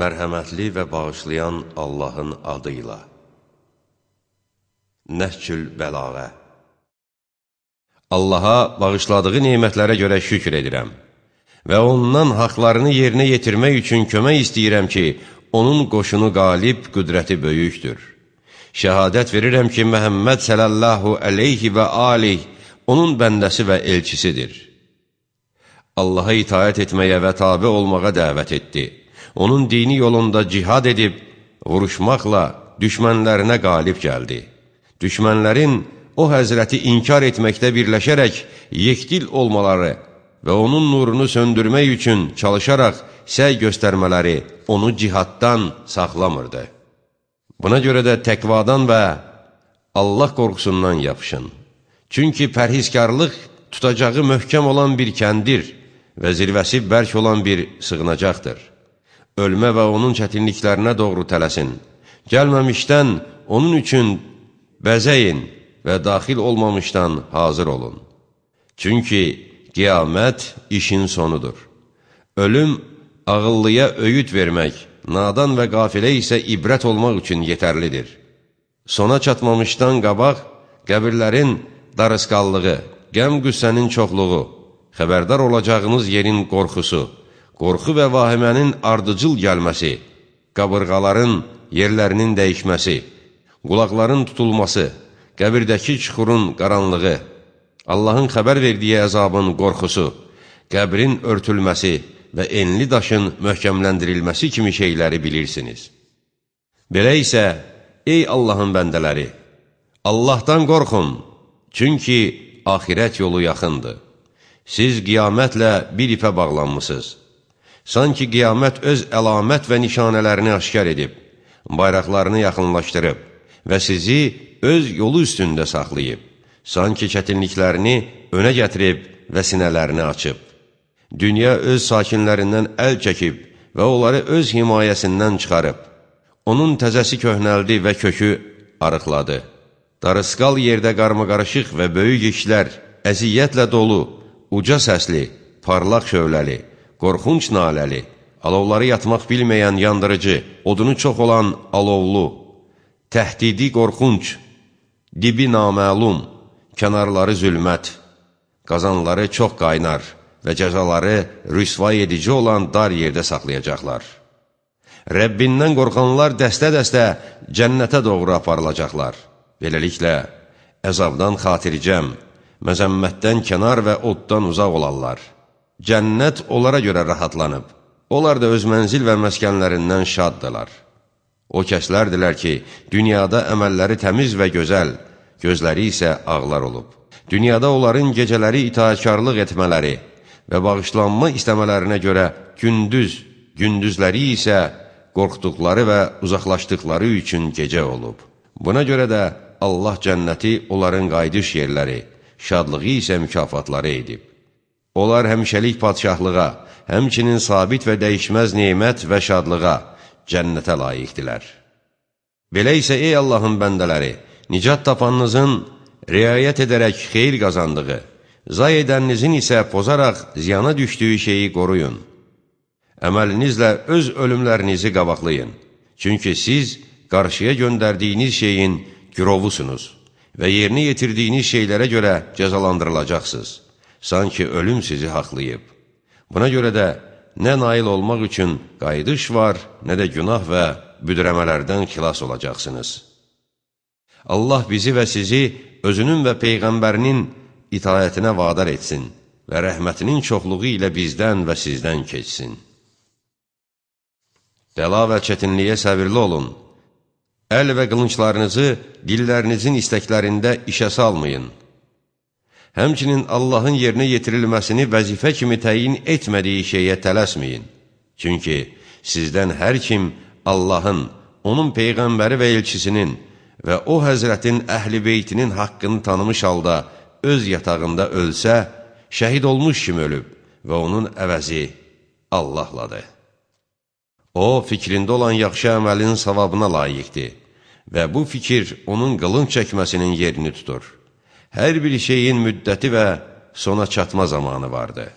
Mərhəmətli və bağışlayan Allahın adıyla. Nəhcül Bəlağə. Allaha bağışladığı nemətlərə görə şükr edirəm və ondan haqlarını yerinə yetirmək üçün kömək istəyirəm ki, onun qoşunu qalib, qüdrəti böyükdür. Şəhadət verirəm ki, Məhəmməd sələlləhu əleyhi və aleyh onun bəndəsi və elçisidir. Allaha itaət etməyə və tabe olmağa dəvət etdi. Onun dini yolunda cihad edib, vuruşmaqla düşmənlərinə qalib gəldi. Düşmənlərin o həzrəti inkar etməkdə birləşərək yekdil olmaları və onun nurunu söndürmək üçün çalışaraq səy göstərmələri onu cihaddan saxlamırdı. Buna görə də təqvadan və Allah qorxusundan yapışın. Çünki pərhizkarlıq tutacağı möhkəm olan bir kəndir və zirvəsi bərk olan bir sığınacaqdır. Ölmə və onun çətinliklərinə doğru tələsin. Gəlməmişdən onun üçün bəzəyin və daxil olmamışdan hazır olun. Çünki qiyamət işin sonudur. Ölüm ağıllıya öyüd vermək, nadan və qafilə isə ibrət olmaq üçün yetərlidir. Sona çatmamışdan qabaq, qəbirlərin darısqallığı, qəm-qüssənin çoxluğu, xəbərdar olacağınız yerin qorxusu, qorxu və vahimənin ardıcıl gəlməsi, qabırğaların yerlərinin dəyişməsi, qulaqların tutulması, qəbirdəki çuxurun qaranlığı, Allahın xəbər verdiyi əzabın qorxusu, qəbrin örtülməsi və enli daşın möhkəmləndirilməsi kimi şeyləri bilirsiniz. Belə isə, ey Allahın bəndələri, Allahdan qorxun, çünki axirət yolu yaxındır. Siz qiyamətlə bir ipə bağlanmışsınız. Sanki qiyamət öz əlamət və nişanələrini aşkar edib, bayraqlarını yaxınlaşdırıb və sizi öz yolu üstündə saxlayıb, sanki çətinliklərini önə gətirib və sinələrini açıb. Dünya öz sakinlərindən əl çəkib və onları öz himayəsindən çıxarıb. Onun təzəsi köhnəldi və kökü arıqladı. Darısqal yerdə qarmaqarışıq və böyük işlər, əziyyətlə dolu, uca səsli, parlaq şövləli, qorxunc naləli, alovları yatmaq bilməyən yandırıcı, odunu çox olan alovlu, təhdidi qorxunc, dibi naməlum, kənarları zülmət, qazanları çox qaynar və cəzaları rüsvay edici olan dar yerdə saxlayacaqlar. Rəbbindən qorxanlar dəstə-dəstə cənnətə doğru aparılacaqlar. Beləliklə, əzabdan xatircəm, məzəmmətdən kənar və oddan uzaq olarlar. Cənnət onlara görə rahatlanıb, onlar da öz mənzil və məskənlərindən şaddılar. O kəslərdilər ki, dünyada əməlləri təmiz və gözəl, gözləri isə ağlar olub. Dünyada onların gecələri itaatkarlıq etmələri və bağışlanma istəmələrinə görə gündüzləri isə qorxduqları və uzaqlaşdıqları üçün gecə olub. Buna görə də Allah cənnəti onların qayıdış yerləri, şadlığı isə mükafatları edib. Onlar həmişəlik padşahlığa, həmçinin sabit və dəyişməz nemət və şadlığa, cənnətə layiqdilər. Belə isə, ey Allahın bəndələri, nicat tapanınızın riayət edərək xeyir qazandığı, zay edəninizin isə pozaraq ziyana düşdüyü şeyi qoruyun. Əməlinizlə öz ölümlərinizi qabaqlayın. Çünki siz qarşıya göndərdiyiniz şeyin gürovusunuz və yerinə yetirdiyiniz şeylərə görə cəzalandırılacaqsınız. Sanki ölüm sizi haqlayıb. Buna görə də nə nail olmaq üçün qayıdış var, nə də günah və büdrəmələrdən xilas olacaqsınız. Allah bizi və sizi özünün və Peyğəmbərinin itaətinə vadar etsin və rəhmətinin çoxluğu ilə bizdən və sizdən keçsin. Bəla və çətinliyə səbirli olun. Əl və qılınçlarınızı dillərinizin istəklərində işə salmayın. Həmçinin Allahın yerinə yetirilməsini vəzifə kimi təyin etmədiyi şeyə tələsməyin. Çünki sizdən hər kim Allahın, onun Peyğəmbəri və elçisinin və o həzrətin əhl-i beytinin haqqını tanımış halda öz yatağında ölsə, şəhid olmuş kimi ölüb və onun əvəzi Allahladır. O, fikrində olan yaxşı əməlin savabına layiqdir və bu fikir onun qılınc çəkməsinin yerini tutur. Hər bir şeyin müddəti və sona çatma zamanı vardır.